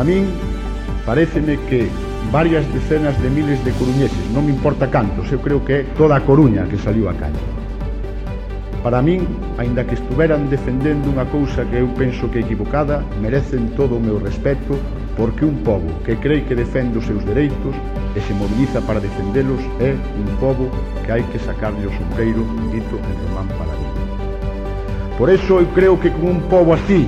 A min paréceme que varias decenas de miles de coruñeses, non me importa cantos, eu creo que é toda a Coruña que saliu á calle. Para min, aínda que estuveran defendendo unha cousa que eu penso que é equivocada, merecen todo o meu respeto, porque un pobo que crei que defende os seus dereitos e se moviliza para defendelos é un pobo que hai que sacarlle o sombrero, dito en Román Paladín. Por eso eu creo que con un pobo así,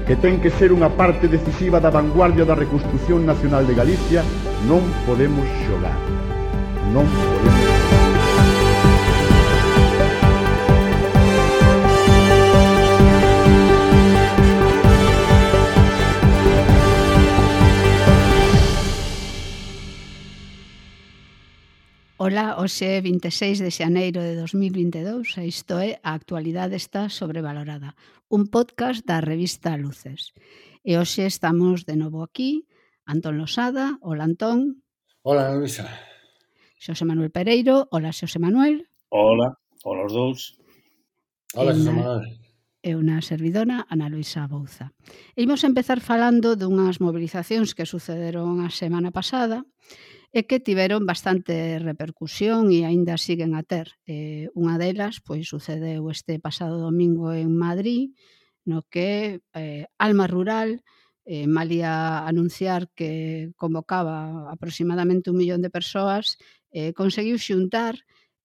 que ten que ser unha parte decisiva da vanguardia da reconstrucción nacional de Galicia, non podemos xogar. Non podemos xogar. Ola, hoxe é 26 de xaneiro de 2022 e isto é A Actualidade está sobrevalorada, un podcast da revista Luces. E hoxe estamos de novo aquí, Antón Losada, hola Antón. Hola, Luisa. Xosé Manuel Pereiro, hola Xosé Manuel. Hola, hola os dous. Hola, Xosé Manuel. E unha servidora, Ana Luisa Bouza. E imos empezar falando dunhas mobilizacións que sucederon a semana pasada e que tiveron bastante repercusión e aínda siguen a ter. Unha delas pois sucedeu este pasado domingo en Madrid, no que Alma Rural, malia anunciar que convocaba aproximadamente 1 millón de persoas, conseguiu xuntar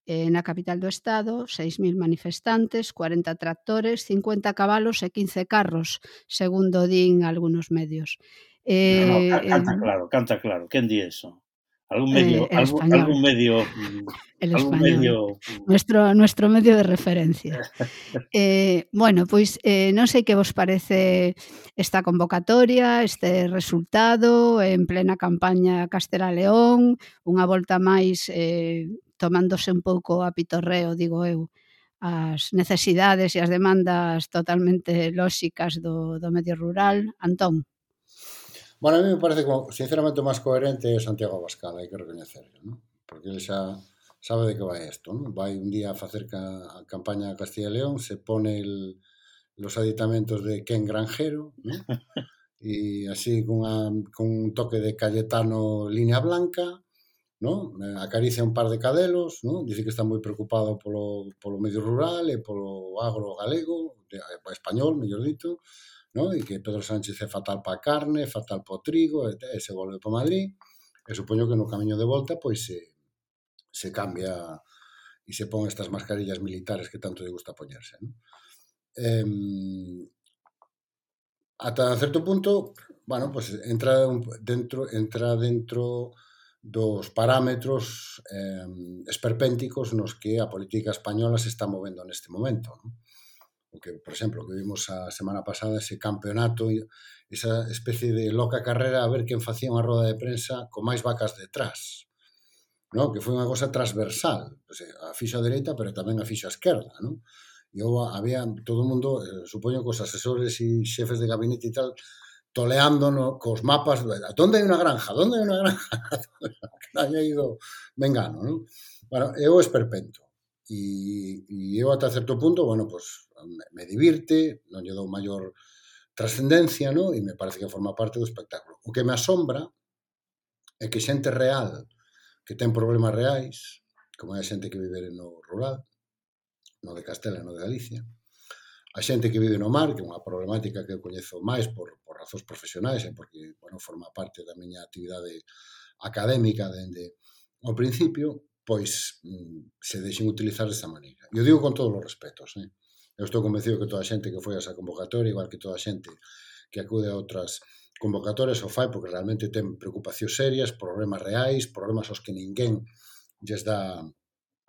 na capital do Estado 6.000 manifestantes, 40 tractores, 50 cabalos e 15 carros, segundo din algúns medios. Canta claro, quen di eso? Algún medio, El Español. Nuestro medio de referencia. Bueno, pois non sei que vos parece esta convocatoria, este resultado en plena campaña Castela León, unha volta máis tomándose un pouco a pitorreo, digo eu, as necesidades e as demandas totalmente lóxicas do medio rural. Antón. Bueno, a mí me parece como, sinceramente, o máis coherente é Santiago Abascal, hai que recoñecerlo, ¿no? Porque ele xa sabe de que vai isto, ¿no? Vai un día a facer a campaña a Castilla y León, se pone los aditamentos de Ken Granjero, ¿no? E así con un toque de Cayetano línea blanca, ¿no? Acaricia un par de cadelos, ¿no? Dice que está moi preocupado polo medio rural e polo agro galego, español, mellor dito, ¿no? E que Pedro Sánchez é fatal para a carne, fatal para o trigo, e se volve para Madrid, e supoño que no camiño de volta pois se cambia e se pon estas mascarillas militares que tanto lle gusta poñerse, ¿no? Ata certo punto, bueno, pues entra dentro dos parámetros esperpénticos nos que a política española se está movendo neste momento, ¿no? O que, por exemplo, que vimos a semana pasada, ese campeonato, esa especie de loca carrera a ver quen facía unha roda de prensa con máis vacas detrás, ¿no? Que foi unha cosa transversal, o sea, a fixo a dereita, pero tamén a fixo a esquerda, ¿no? E había todo o mundo, supoño que os asesores e xefes de gabinete e tal, toleando cos mapas, onde hai unha granja, onde hai unha granja, que haya ido Mengano, ¿no? Bueno, eu esperpento. E eu ata certo punto, bueno, pues me divirte, non lle dou maior trascendencia, ¿no? E me parece que forma parte do espectáculo. O que me asombra é que xente real, que ten problemas reais, como é a xente que vive no rural, no de Castela e no de Galicia, a xente que vive no mar, que é unha problemática que eu coñezo máis por razóns profesionais e porque, bueno, forma parte da miña actividade académica dende ao principio, pois se deixen utilizar desta maneira. E eu digo con todos os respetos, ¿eh? Eu estou convencido que toda a xente que foi a esa convocatoria, igual que toda a xente que acude a outras convocatorias, o fai porque realmente ten preocupacións serias, problemas reais, problemas aos que ninguén lles dá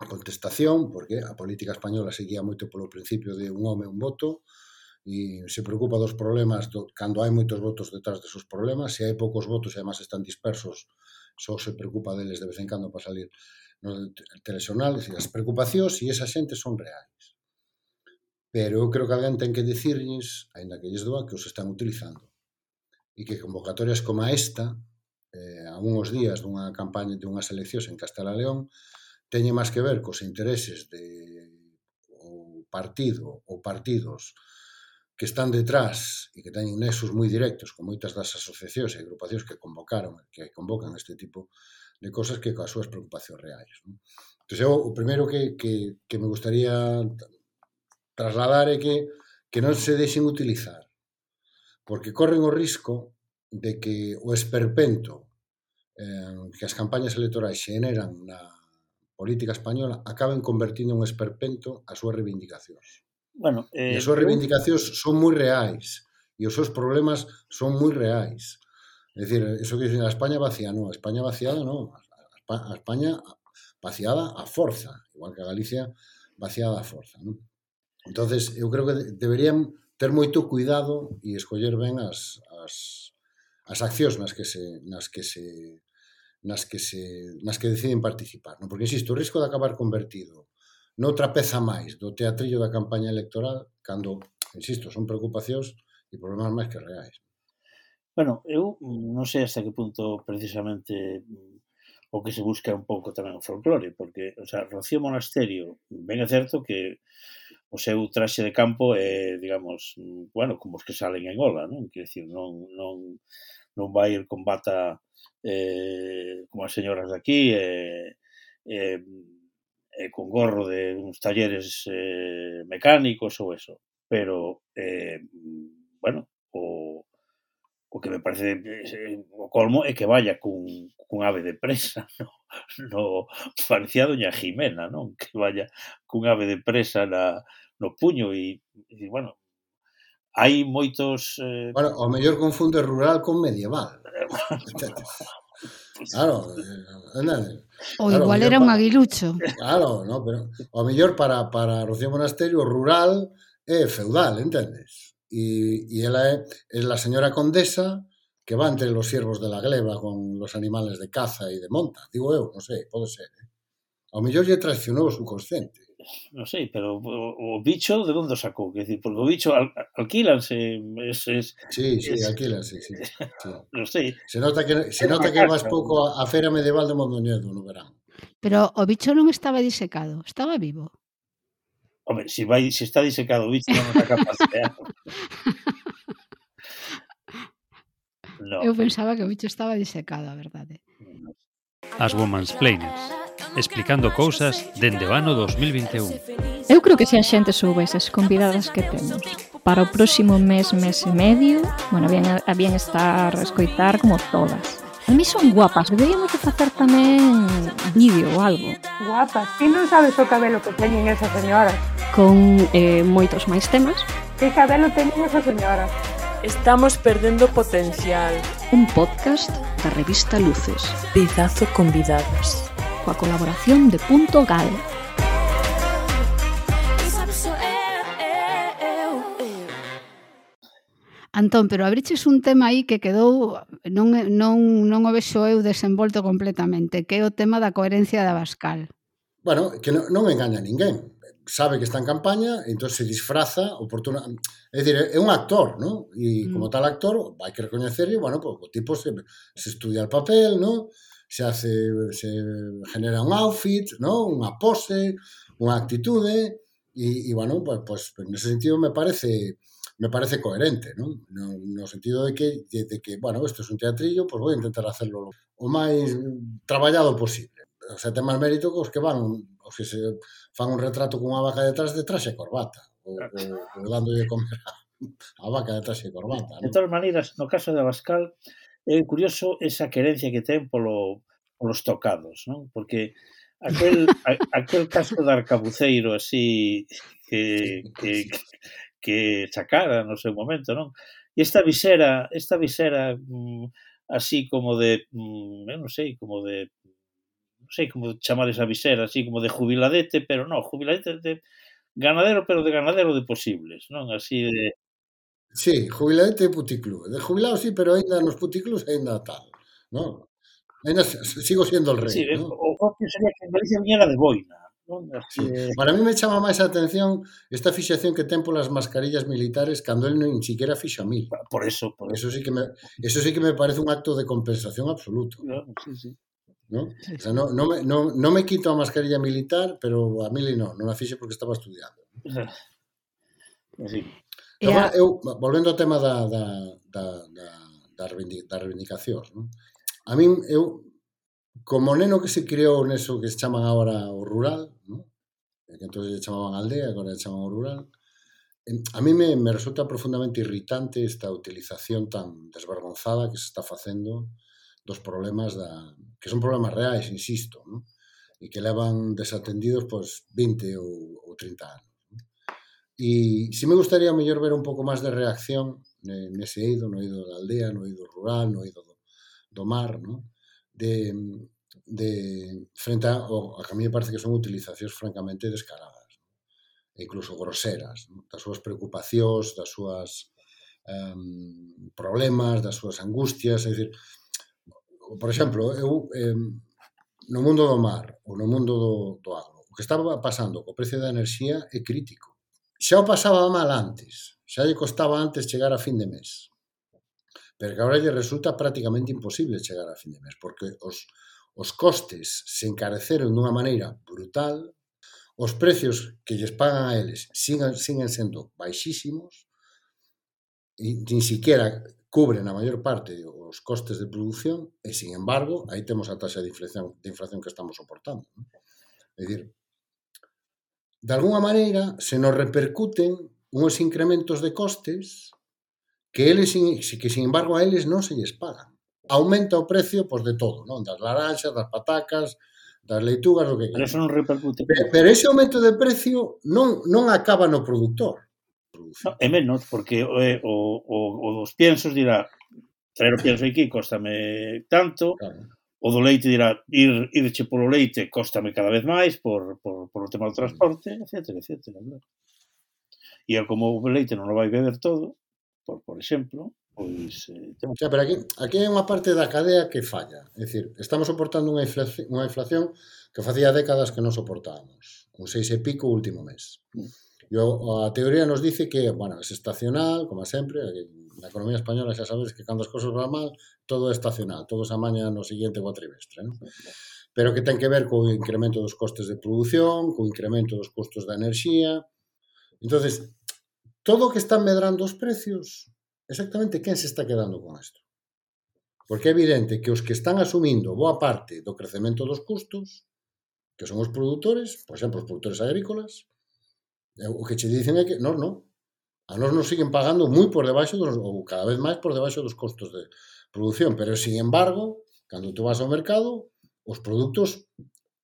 contestación, porque a política española seguía moito polo principio de un home, un voto, e se preocupa dos problemas cando hai moitos votos detrás desos problemas. Se hai poucos votos e además están dispersos, só se preocupa deles de vez en cando para salir no telexornal. As preocupacións e esa xente son reais. Pero eu creo que alguén ten que dicirlles, aínda que lles doa, que os están utilizando. E que convocatorias como esta, a uns días dunha campaña de unhas eleccións en Castela León, teñen máis que ver cos intereses de o partido ou partidos que están detrás e que teñen nexos moi directos con moitas das asociacións e agrupacións que convocan este tipo de cosas que coas súas preocupacións reais. Non? Entón, eu, o primeiro que me gustaría trasladar é que non se deixen utilizar, porque corren o risco de que o esperpento que as campañas electorais xeneran na política española acaben convertindo en esperpento as súas reivindicacións. Bueno, E as súas reivindicacións son moi reais e os seus problemas son moi reais. É dicir, eso que dicen a España vacía, non, a España vaciada non, a España vaciada a forza, igual que a Galicia vaciada a forza, non? Entonces, eu creo que deberían ter moito cuidado e escoller ben as accións nas que deciden participar, non? Porque, insisto, o risco de acabar convertido noutra peza máis do teatrillo da campaña electoral, cando, insisto, son preocupacións e problemas máis que reais. Bueno, eu non sei hasta que punto precisamente o que se busca un pouco tamén o folclore, porque, o sea, Rocío Monasterio, ben é certo que o seu traxe de campo é, digamos, bueno, como os que salen en ola, non? Quer dizer, non vai ir con bata como as señoras de aquí con gorro de uns talleres mecánicos ou eso, pero bueno, o que me parece o colmo é que vaya cun ave de presa no parecía doña Jimena, non? Que vaya cun ave de presa no puño e bueno, hai moitos Bueno, o mellor confunde rural con medieval. Claro, ou igual era un aguilucho. Claro, no, pero o mellor para Rocío Monasterio rural é feudal, entendes? E ela é la señora condesa que va entre los siervos de la gleba con los animales de caza e de monta. Digo eu, non sei, pode ser. Ao mellor lle traicionou o subconsciente. Non sei, pero o bicho de onde sacou? Quer dizer, porque o bicho alquílanse. Sí, alquílanse, sí. Non sei. Se nota que vas pouco a feira medieval de Mondoñedo no verán. Pero o bicho non estaba disecado, estaba vivo. Home, se está disecado o bicho non está capaz de... No. Eu pensaba que o bicho estaba disecado, a verdade. As Womansplainers, explicando cousas dende o ano 2021. Eu creo que se a xente soubese as convidadas que temos para o próximo mes e medio, bueno, habían estar a escoitar como todas. A mí son guapas, deberíamos de facer tamén vídeo ou algo. Guapas, ti non sabes o cabelo que teñen esas señoras. Con moitos máis temas. Que cabelo teñen esas señoras. Estamos perdendo potencial. Un podcast da revista Luces. Pizazo convidadas. Coa colaboración de Punto Gal. Antón, pero abriches un tema aí que quedou, non o vexo eu desenvolto completamente, que é o tema da coherencia de Abascal. Bueno, que non engaña a ninguén. Sabe que está en campaña, entón se disfraza oportuna. É dicir, é un actor, ¿no? E como tal actor, hai que recoñecerle, bueno, pues, o tipo se estudia el papel, ¿no? Se genera un outfit, ¿no? Unha pose, unha actitude, e bueno, pues nese sentido me parece coherente, ¿no? No sentido de que, bueno, isto é un teatrillo, pues voy a intentar hacerlo o máis traballado posible. O sea, ten máis mérito que os que se fan un retrato cunha vaca detrás de traxe e corbata, ou dándolle comer a vaca de traxe e corbata, ¿no? De todas maneiras, no caso de Abascal, é curioso esa querencia que ten polos tocados, non? Porque aquel casco de arcabuceiro así que sacara no seu momento, non? E esta visera así como de, eu non sei, como chamar esa visera, así como de jubiladete, pero non, jubiladete de ganadero, pero de ganadero de posibles, non? Así de... Sí, jubiladete de puticlub. De jubilado sí, pero ainda nos puticlubs ainda tal, non? Ainda sigo siendo el rei, sí, non? O propio sería que en Galicia viñera de boina, non? Sí. Para mí me chama máis a atención esta fixación que ten polas mascarillas militares cando el nin siquiera fixo a mil. Por eso. Eso sí que me parece un acto de compensación absoluto. Claro, sí. ¿No? O sea, no me quito a mascarilla militar, pero a mili non la fixe porque estaba estudiando. Sí. Volvendo ao tema das reivindicacións, non? A min, como neno que se criou neso que se chaman agora o rural, non? Que entón se chamaban aldea, agora se chaman o rural, a mí me resulta profundamente irritante esta utilización tan desvergonzada que se está facendo dos problemas que son problemas reais, insisto, non? E que levan desatendidos 20 ou 30 anos. E si me gustaría mellor ver un pouco máis de reacción nese eido, no eido da aldea, no eido rural, no eido do mar, non? Frente a que a mí me parece que son utilizacións francamente descaradas, e incluso groseras, non? Das súas preocupacións, das súas problemas, das súas angustias, é dicir, por exemplo, eu no mundo do mar ou no mundo do agro, o que estaba pasando co precio da enerxía é crítico. Xa o pasaba mal antes, xa lle costaba antes chegar a fin de mes, pero que agora lle resulta prácticamente imposible chegar a fin de mes, porque os costes se encareceron dunha maneira brutal, os precios que lles pagan a eles siguen sendo baixísimos, e nin siquiera cubren a maior parte os costes de produción, e, sin embargo, aí temos a taxa de inflación que estamos soportando. É dicir, de alguna maneira, se nos repercuten uns incrementos de costes que sin embargo, a eles non se lles pagan. Aumenta o precio, de todo, non? Das laranxas, das patacas, das leitugas, do que Pero eso non repercute. Pero ese aumento de precio non acaba no produtor. No, é menos, porque o dos piensos dirá, traer o pienso aquí cóstame tanto, claro. O do leite dirá, irche polo leite cóstame cada vez máis por o tema do transporte, etcétera. E como o leite non o vai beber todo, por exemplo, pois... Pero aquí hai unha parte da cadea que falla. É dicir, estamos soportando unha inflación que facía décadas que non soportábamos. Un 6 e pico o último mes. E a teoría nos dice que, é estacional, como sempre, na economía española xa sabes que cando as cosas van mal, todo é estacional, todo se amaña no seguinte cuatrimestre, non? Pero que ten que ver co incremento dos costes de produción, co incremento dos custos da enerxía. Entonces, todo o que están medrando os precios, exactamente quen se está quedando con isto? Porque é evidente que os que están asumindo boa parte do crecemento dos custos, que son os produtores, por exemplo, os produtores agrícolas, o que che dicen é que non. A nós nos siguen pagando moi por debaixo ou cada vez máis por debaixo dos costos de produción, pero, sin embargo, cando tú vas ao mercado, os produtos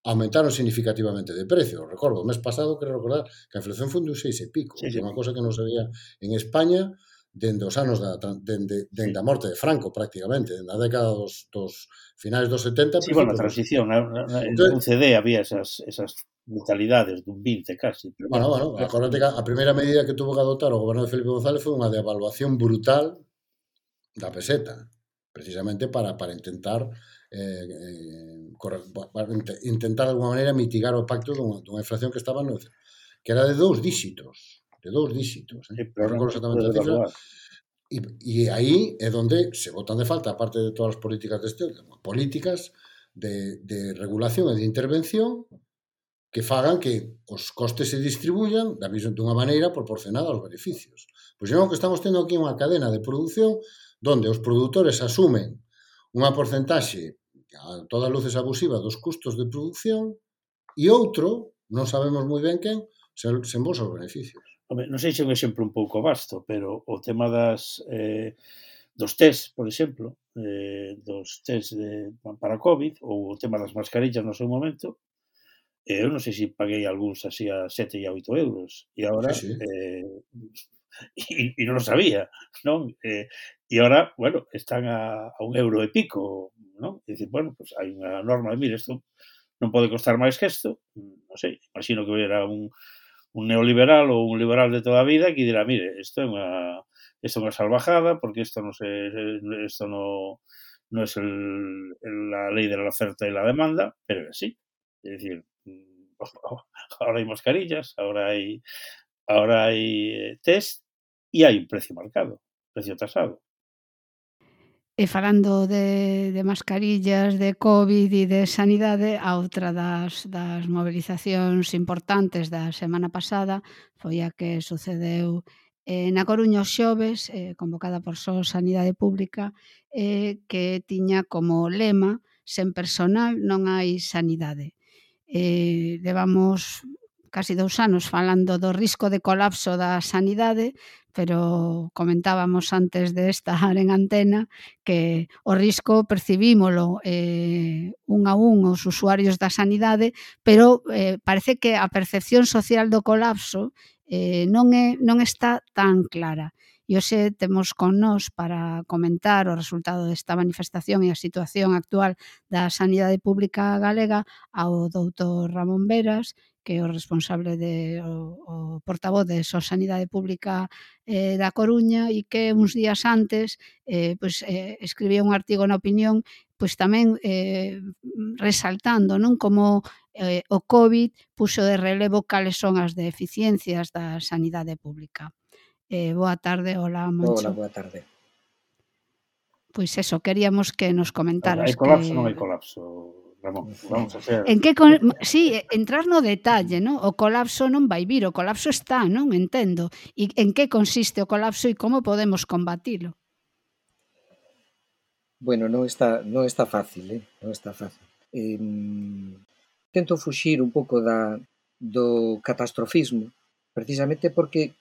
aumentaron significativamente de precio. Recordo, o mes pasado, quero recordar que a inflación foi de 6 e pico, unha cosa que non se veía en España dende os anos dende a morte de Franco, prácticamente, dende a década dos finais dos 70. Sí, a transición, en CD había esas brutalidades dun 20 casi. Acordate que a primeira medida que tuvo que adoptar o goberno de Felipe González foi unha devaluación brutal da peseta, precisamente para intentar de alguma maneira mitigar o impacto dunha inflación que estaba que era de 2 dígitos. Pero recordo exactamente a cifra. E aí é onde se botan de falta, aparte de todas as políticas políticas de regulación e de intervención que fagan que os costes se distribuyan dunha maneira proporcionada aos beneficios. Pois non, que estamos tendo aquí unha cadena de produción onde os produtores asumen unha porcentaxe a todas luces abusiva dos custos de produción e outro, non sabemos moi ben quen, se embolsa os beneficios. Non sei se é un exemplo un pouco vasto, pero o tema dos test, por exemplo, dos test para COVID, ou o tema das mascarillas no seu momento, eu non sei se paguei algúns así a 7 e a 8 euros, e agora e non o sabía, non? E agora, están a 1 euro e pico, non? E dicir, pues hai unha norma de, mire, isto non pode costar máis que isto, non sei, imagino que era un neoliberal ou un liberal de toda a vida que dirá, mire, isto é unha salvajada porque isto non é la lei de la oferta e la demanda, pero é así. É dicir, ahora hai mascarillas, ahora hai test e hai un precio marcado, precio tasado. E falando de mascarillas, de COVID e de sanidade, a outra das mobilizacións importantes da semana pasada foi a que sucedeu Na Coruña os xoves, convocada por Sanidade Pública, que tiña como lema sen personal non hai sanidade. Levamos casi 2 anos falando do risco de colapso da sanidade, pero comentábamos antes de estar en antena que o risco percibímolo un a un os usuarios da sanidade, pero parece que a percepción social do colapso non está tan clara. E hoxe temos con nós para comentar o resultado desta manifestación e a situación actual da sanidade pública galega ao doutor Ramón Veras, que é o responsable o portavoz de Sanidade Pública da Coruña e que uns días antes escribía un artigo na Opinión tamén resaltando como o COVID puxo de relevo cales son as deficiencias da sanidade pública. Boa tarde, hola Moncho. Hola, boa tarde. Pois eso, queríamos que nos comentaras. Hai colapso, non hai colapso, Ramón. Vamos a ser... Sí, entrar no detalle, non? O colapso non vai vir, o colapso está, non? Entendo. E en que consiste o colapso e como podemos combatilo? Bueno, non está fácil, non está fácil. Tento fuxir un pouco do catastrofismo, precisamente porque,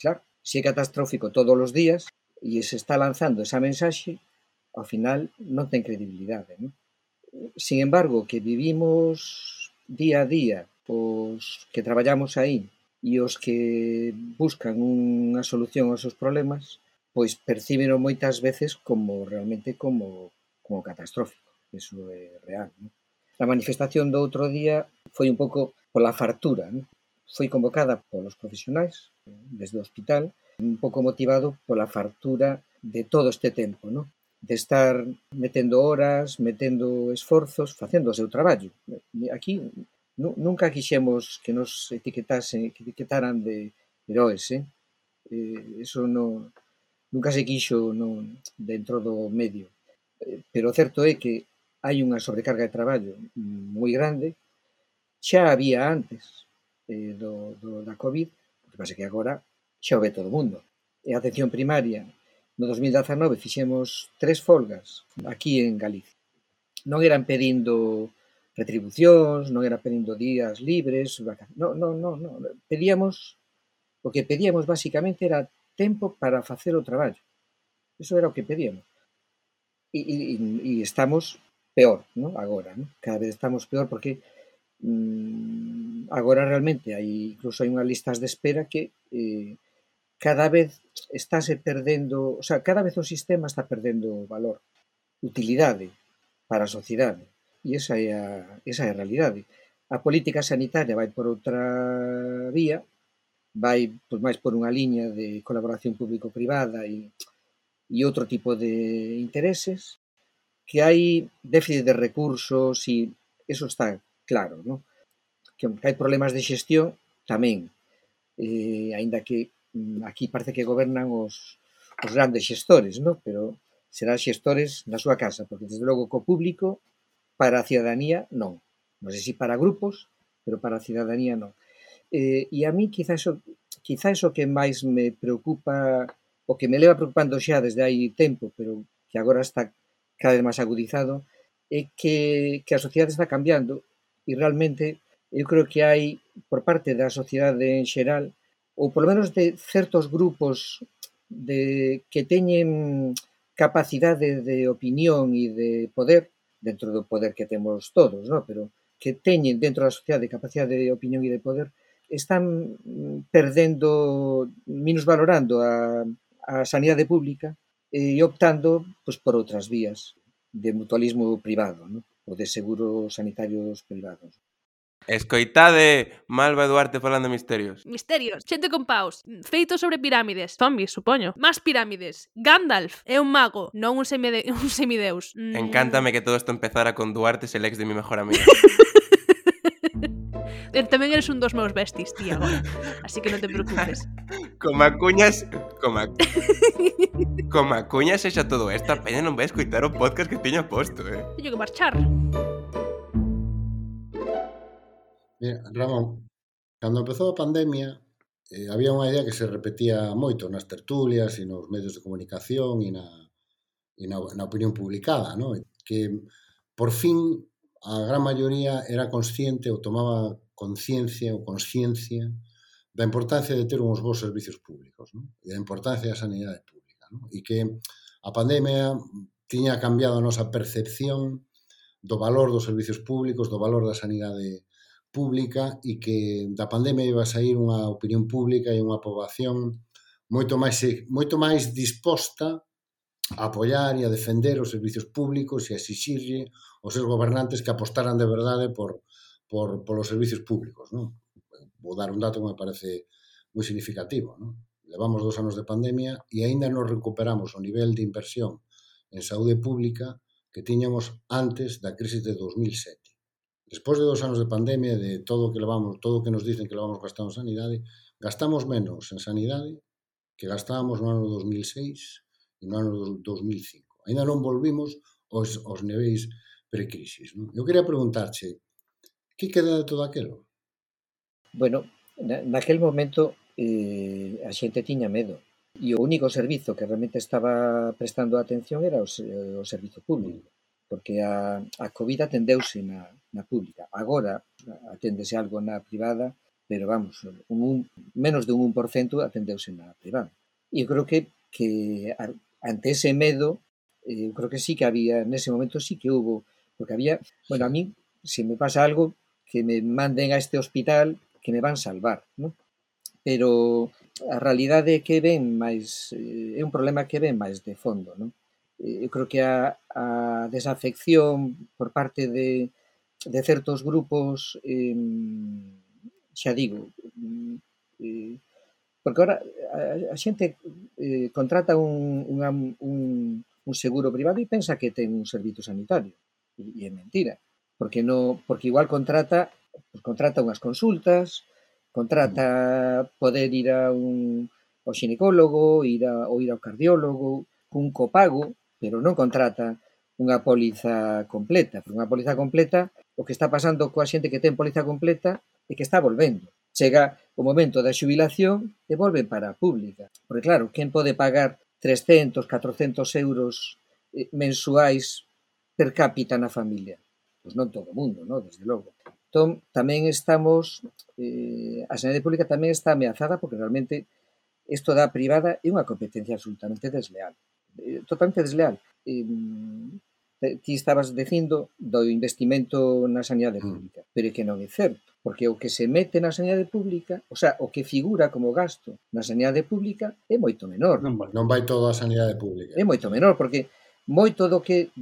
claro, se é catastrófico todos os días e se está lanzando esa mensaxe, ao final non ten credibilidade, non? Sin embargo, que vivimos día a día, os que traballamos aí e os que buscan unha solución aos seus problemas, pois percíbeno moitas veces realmente como catastrófico. Eso é real, non? A manifestación do outro día foi un pouco pola fartura, non? Foi convocada polos profesionais desde o hospital, un pouco motivado pola fartura de todo este tempo, non? De estar metendo horas, metendo esforzos, facendo o seu traballo. Aquí nunca quixemos que nos etiquetaran de heróis, eso nunca se quixo dentro do medio. Pero o certo é que hai unha sobrecarga de traballo moi grande, xa había antes da COVID, o que pasa que agora xa o ve todo o mundo. E a atención primaria, no 2019 fixemos 3 folgas aquí en Galicia. Non eran pedindo retribucións, non eran pedindo días libres, non. O que pedíamos basicamente era tempo para facer o traballo. Eso era o que pedíamos. E estamos peor, non? Agora, non? Cada vez estamos peor porque agora realmente incluso hai unhas listas de espera que cada vez estáse perdendo, o sea, cada vez o sistema está perdendo valor, utilidade para a sociedade. E esa é a realidade. A política sanitaria vai por outra vía, vai máis por unha liña de colaboración público-privada e outro tipo de intereses, que hai déficit de recursos e eso está claro, non? Que hai problemas de xestión tamén, aínda que aquí parece que gobernan os grandes xestores, non? Pero serán xestores na súa casa, porque desde logo co público, para a cidadanía, non. Non sei se para grupos, pero para a cidadanía non. E a mí quizás o que máis me preocupa, o que me leva preocupando xa desde hai tempo, pero que agora está cada vez máis agudizado, é que a sociedade está cambiando e realmente eu creo que hai por parte da sociedade en xeral, ou polo menos de certos grupos que teñen capacidade de opinión e de poder, dentro do poder que temos todos, non? Pero que teñen dentro da sociedade capacidade de opinión e de poder, están perdendo, minusvalorando a sanidade pública e optando por outras vías de mutualismo privado, non? Ou de seguros sanitarios privados. Escoitade Malva Duarte falando de misterios. Misterios, xente con paus, feitos sobre pirámides, zombies, supoño. Más pirámides. Gandalf é un mago, non un semideus. Encántame que todo isto empezara con Duarte, el ex de mi mejor amiga. Tamén eres un dos meus besties, tía, agora. Así que non te preocupes. Como cuñas e xa todo isto, a peña non vai escoitar o podcast que teño posto, Teño que marchar. Mira, Ramón, cando empezou a pandemia, había unha idea que se repetía moito nas tertulias e nos medios de comunicación e na opinión publicada, ¿no? Que por fin a gran maioría era consciente ou tomaba conciencia ou consciencia da importancia de ter uns bons servicios públicos, ¿no? E da importancia da sanidade pública, ¿no? E que a pandemia tiña cambiado a nosa percepción do valor dos servicios públicos, do valor da sanidade pública e que da pandemia iba a sair unha opinión pública e unha poboación moito máis disposta a apoiar e a defender os servicios públicos e a exixirlle aos seus gobernantes que apostaran de verdade polos servicios públicos, ¿no? Vou dar un dato que me parece moi significativo, ¿no? Levamos 2 anos de pandemia e aínda non recuperamos o nivel de inversión en saúde pública que tiñamos antes da crisis de 2007. Despois de 2 anos de pandemia, de todo o que nos dicen que levamos gastado en sanidade, gastamos menos en sanidade que gastábamos no ano 2006 e no ano 2005. Ainda non volvimos aos niveis precrisis, ¿no? Eu quería preguntarche, que queda de todo aquilo? Bueno, naquel momento a xente tiña medo e o único servizo que realmente estaba prestando atención era o servizo público, porque a COVID atendeuse na pública. Agora aténdese algo na privada, pero vamos, menos de un 1% atendeuse na privada. E eu creo que ante ese medo, eu creo que sí que había, nese momento sí que hubo, porque había, bueno, a mí, se me pasa algo, que me manden a este hospital que me van salvar, ¿no? Pero a realidade que ven máis, é un problema que ven máis de fondo, ¿no? Eu creo que a desafección por parte de certos grupos, xa digo, porque ahora a xente contrata un seguro privado e pensa que ten un servizo sanitario, e é mentira, porque igual contrata unhas consultas, contrata poder ir ao xinecólogo, ou ir ao cardiólogo, cun copago, pero non contrata unha póliza completa. Porque unha póliza completa, o que está pasando coa xente que ten póliza completa é que está volvendo. Chega o momento da xubilación e volven para a pública. Porque claro, quen pode pagar 300, 400 euros mensuais per cápita na familia? Pois non todo o mundo, non? Desde logo. Entón, tamén estamos, a sanidade pública tamén está ameazada porque realmente isto da privada é unha competencia absolutamente desleal. Totalmente desleal. Ti estabas dicindo do investimento na sanidade pública, pero é que non é certo, porque o que se mete na sanidade pública, o sea, o que figura como gasto na sanidade pública é moito menor. Non vai todo a sanidade pública. É moito menor, porque moito do que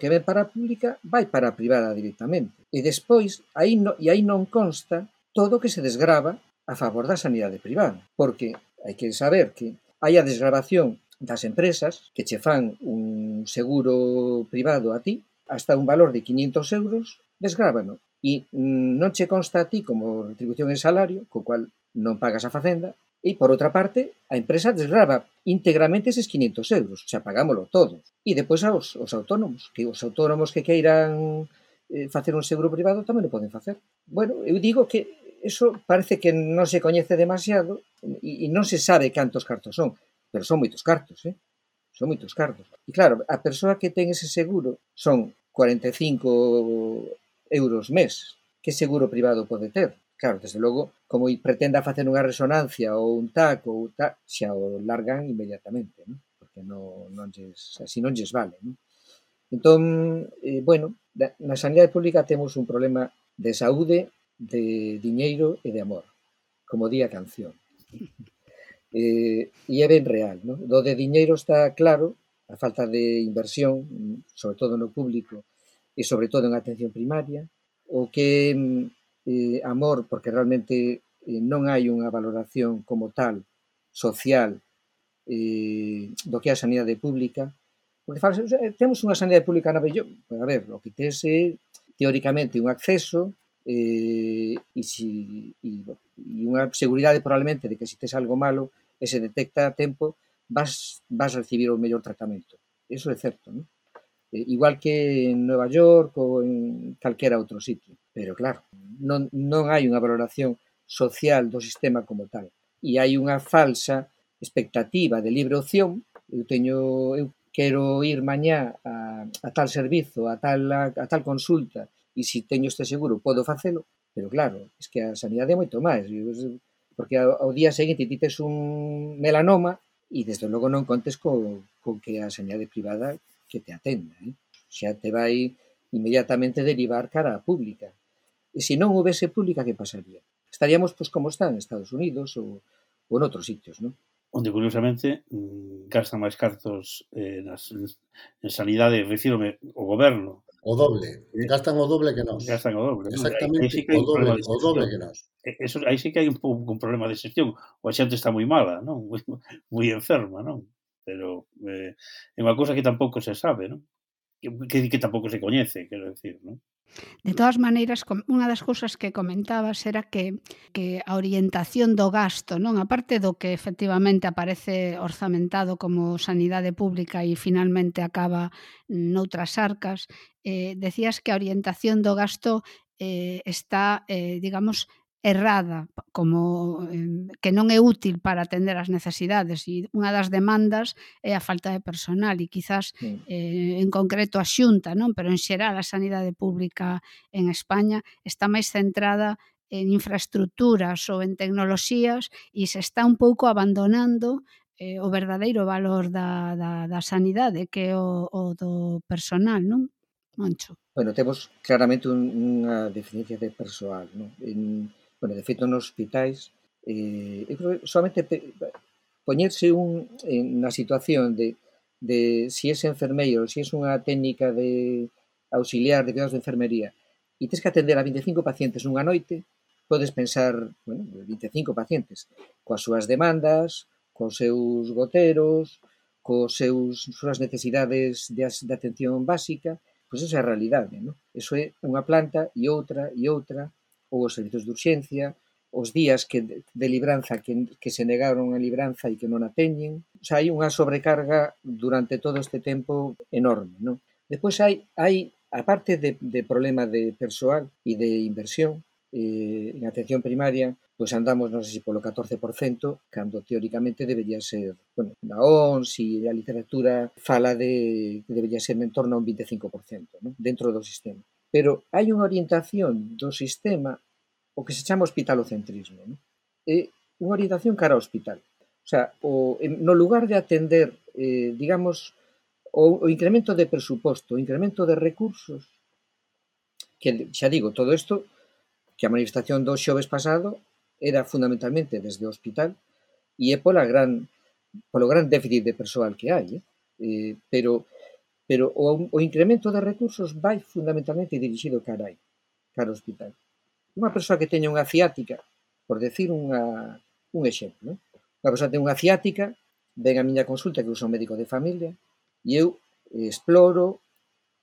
ven para a pública vai para a privada directamente. E despois, aí non consta todo o que se desgrava a favor da sanidade privada, porque hai que saber que hai a desgravación das empresas que che fan un seguro privado a ti hasta un valor de 500 euros, desgrábano. E non che consta a ti como retribución en salario, co cual non pagas a Facenda, e, por outra parte, a empresa desgrava íntegramente eses 500 euros, o sea, pagámoslo todos. E depois aos autónomos, que queiran facer un seguro privado tamén o poden facer. Bueno, eu digo que eso parece que non se coñece demasiado e non se sabe cantos cartos son, pero son moitos cartos, son moitos cartos. E claro, a persoa que ten ese seguro son 45 euros mes. Que seguro privado pode ter? Claro, desde logo, como pretenda facer unha resonancia ou un TAC ou tal, xa o largan inmediatamente, ¿no? Porque así non lles vale, ¿no? Entón, bueno, na sanidade pública temos un problema de saúde, de diñeiro e de amor, como di a canción. E é ben real, ¿no? Do de diñeiro está claro, a falta de inversión, sobre todo no público e sobre todo en atención primaria, o que amor, porque realmente non hai unha valoración como tal social do que é a sanidade pública, porque temos unha sanidade pública na bello, a ver, o que tes é teóricamente un acceso e unha seguridade probablemente de que se tes algo malo e se detecta a tempo vas recibir o mellor tratamento. Eso é certo, non? Igual que en Nova York ou en calquera outro sitio. Pero claro, non hai unha valoración social do sistema como tal. e hai unha falsa expectativa de libre opción. Eu quero ir mañá a tal servizo, a tal consulta, e se teño este seguro podo facelo, pero claro, es que a sanidade é moito máis, porque ao día seguinte ti tes un melanoma e desde logo non contes con que a sanidade privada que te atenda, xa te vai inmediatamente derivar cara a pública. E se non houvese pública, que pasaría? Estaríamos pois como están en Estados Unidos ou noutros sitios, non? Onde, curiosamente, gastan máis cartos en sanidade, refírome ao goberno. O doble, gastan o doble que nós. Gastan o doble. Exactamente, sí que o doble que nós. Aí sí que hai un problema de xestión. O xente está moi mala, non? Moi enferma, non? Pero é unha cousa que tampouco se sabe, non? Que tampouco se coñece, quero decir, non? De todas maneiras, unha das cousas que comentabas era que a orientación do gasto, non, a parte do que efectivamente aparece orzamentado como sanidade pública e finalmente acaba noutras arcas, decías que a orientación do gasto está, digamos, errada, como que non é útil para atender as necesidades, e unha das demandas é a falta de personal e quizás en concreto a Xunta, non, pero en xeral a sanidade pública en España está máis centrada en infraestructuras ou en tecnoloxías e se está un pouco abandonando o verdadeiro valor da sanidade, que é o do personal, non, Moncho? Bueno, temos claramente unha deficiencia de persoal, non? De feito, nos hospitais, eu creo que solamente poñerse na situación de si es enfermeiro, si es unha técnica de auxiliar de cuidados de enfermería e tens que atender a 25 pacientes nunha noite, podes pensar, 25 pacientes, coas súas demandas, cos seus goteros, cos súas necesidades de atención básica, pois esa é a realidade, non? Eso é unha planta e outra, ou os servizos de urxencia, os días de libranza que se negaron a libranza e que non a teñen. O sea, hai unha sobrecarga durante todo este tempo enorme, non? Despois hai a parte de problema de persoal e de inversión en atención primaria, pois andamos, non sei se polo 14%, cando teóricamente debería ser, na OMS e a literatura fala de que debería ser en torno a un 25%, non? Dentro do sistema. Pero hai unha orientación do sistema, o que se chama hospitalocentrismo, non? É unha orientación cara ao hospital. O sea, no lugar de atender, digamos, o incremento de presuposto, o incremento de recursos, que xa digo, todo isto, que a manifestación do xoves pasado era fundamentalmente desde o hospital e é polo gran déficit de persoal que hai, pero o incremento de recursos vai fundamentalmente dirixido cara ao hospital. Unha persoa que teña unha ciática, por decir un exemplo, unha persoa que ten unha ciática, ven a miña consulta que usa un médico de familia e eu exploro,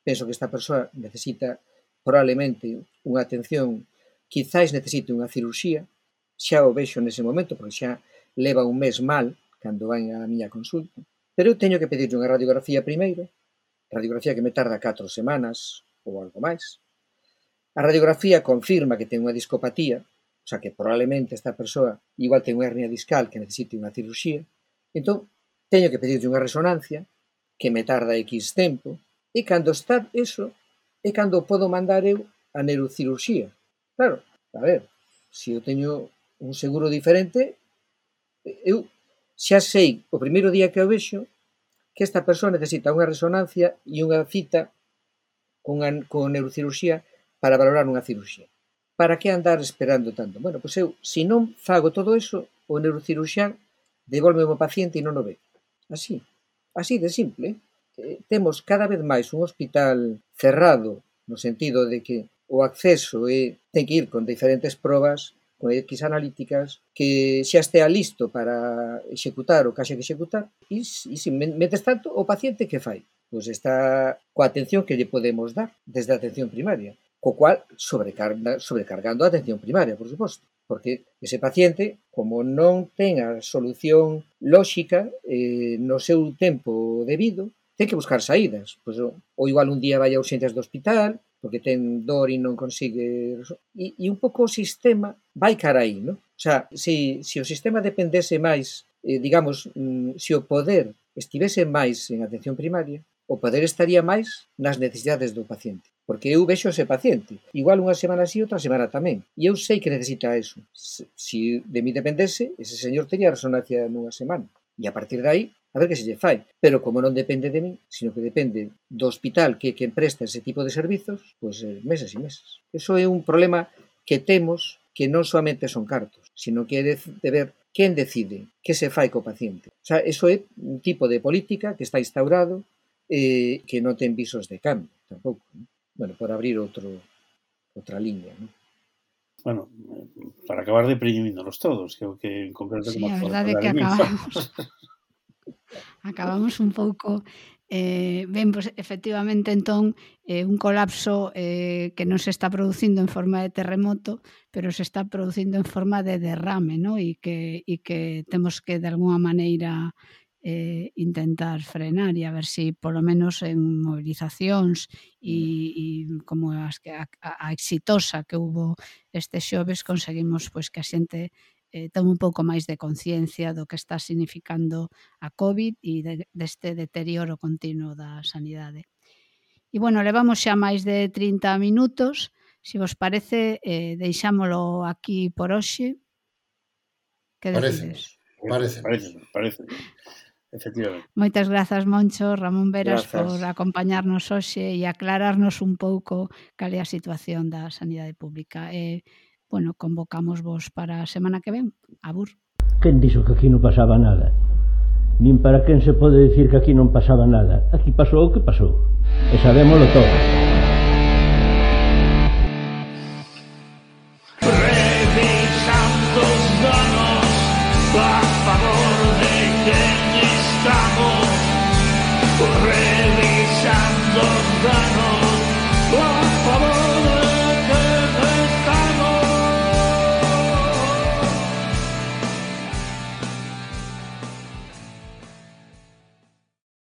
penso que esta persoa necesita probablemente unha atención, quizáis necesite unha cirurxía, xa o vexo nese momento, porque xa leva un mes mal cando vai a miña consulta, pero eu teño que pedirlle unha radiografía primeiro, radiografía que me tarda 4 semanas ou algo máis. A radiografía confirma que ten unha discopatía, o sea que probablemente esta persoa igual ten unha hernia discal que necesite unha cirurxía, entón teño que pedirlle unha resonancia que me tarda X tempo, e cando está eso, é cando podo mandar eu a neurocirurxía. Claro, a ver, se eu teño un seguro diferente, eu xa sei o primeiro día que o vexo que esta persoa necesita unha resonancia e unha cita con neurocirurxía para valorar unha cirurxía. Para que andar esperando tanto? Bueno, pois eu, se non fago todo eso, o neurocirurxián devolve o paciente e non o ve. Así de simple. Temos cada vez máis un hospital cerrado, no sentido de que o acceso ten que ir con diferentes probas, con X analíticas, que xa estea listo para executar o que haxe que executar, e se metes tanto, o paciente que fai? Pois está coa atención que lle podemos dar desde a atención primaria, co cual sobrecargando a atención primaria, por suposto, porque ese paciente, como non ten a solución lóxica no seu tempo debido, ten que buscar saídas. Pois, ou igual un día vai a urxencias do hospital, porque ten dor e non consigue... E un pouco o sistema vai cara aí, non? O sea, se o sistema dependese máis, digamos, se o poder estivese máis en atención primaria, o poder estaría máis nas necesidades do paciente. Porque eu vexo ese paciente. Igual unha semana así, outra semana tamén. E eu sei que necesita eso. Se de mí dependese, ese señor tería resonancia nunha semana. E a partir de aí, a ver que se lle fai. Pero como non depende de mí, sino que depende do hospital que presta ese tipo de servizos, pois meses e meses. Eso é un problema que temos, que non solamente son cartos, sino que é de ver quen decide que se fai co paciente. O sea, eso é un tipo de política que está instaurado que non ten visos de cambio, tampouco. Bueno, por abrir outra liña, ¿no? Bueno, para acabar deprimíndonos todos, creo que en concreto... Sí, a verdade é que acabamos un pouco... ben, pues, efectivamente, entón, un colapso que non se está producindo en forma de terremoto, pero se está producindo en forma de derrame, ¿no? E que temos que, de alguna maneira, intentar frenar e a ver se polo menos en movilizacións e como a exitosa que hubo este xoves conseguimos pois que a xente tome un pouco máis de conciencia do que está significando a COVID e deste deterioro continuo da sanidade. E, bueno, levamos xa máis de 30 minutos. Se vos parece, deixámolo aquí por hoxe. Que decides? Parece. Efectivamente. Moitas grazas, Moncho, Ramón Veras, Grazas por acompañarnos hoxe e aclararnos un pouco cal é a situación da sanidade pública. Bueno, convocamos vos para a semana que ven. Abur. Quen dixo que aquí non pasaba nada? Nin para quen se pode dicir que aquí non pasaba nada. Aquí pasou o que pasou. E sabémolo todo. Revisando os danos a favor de quen estamos.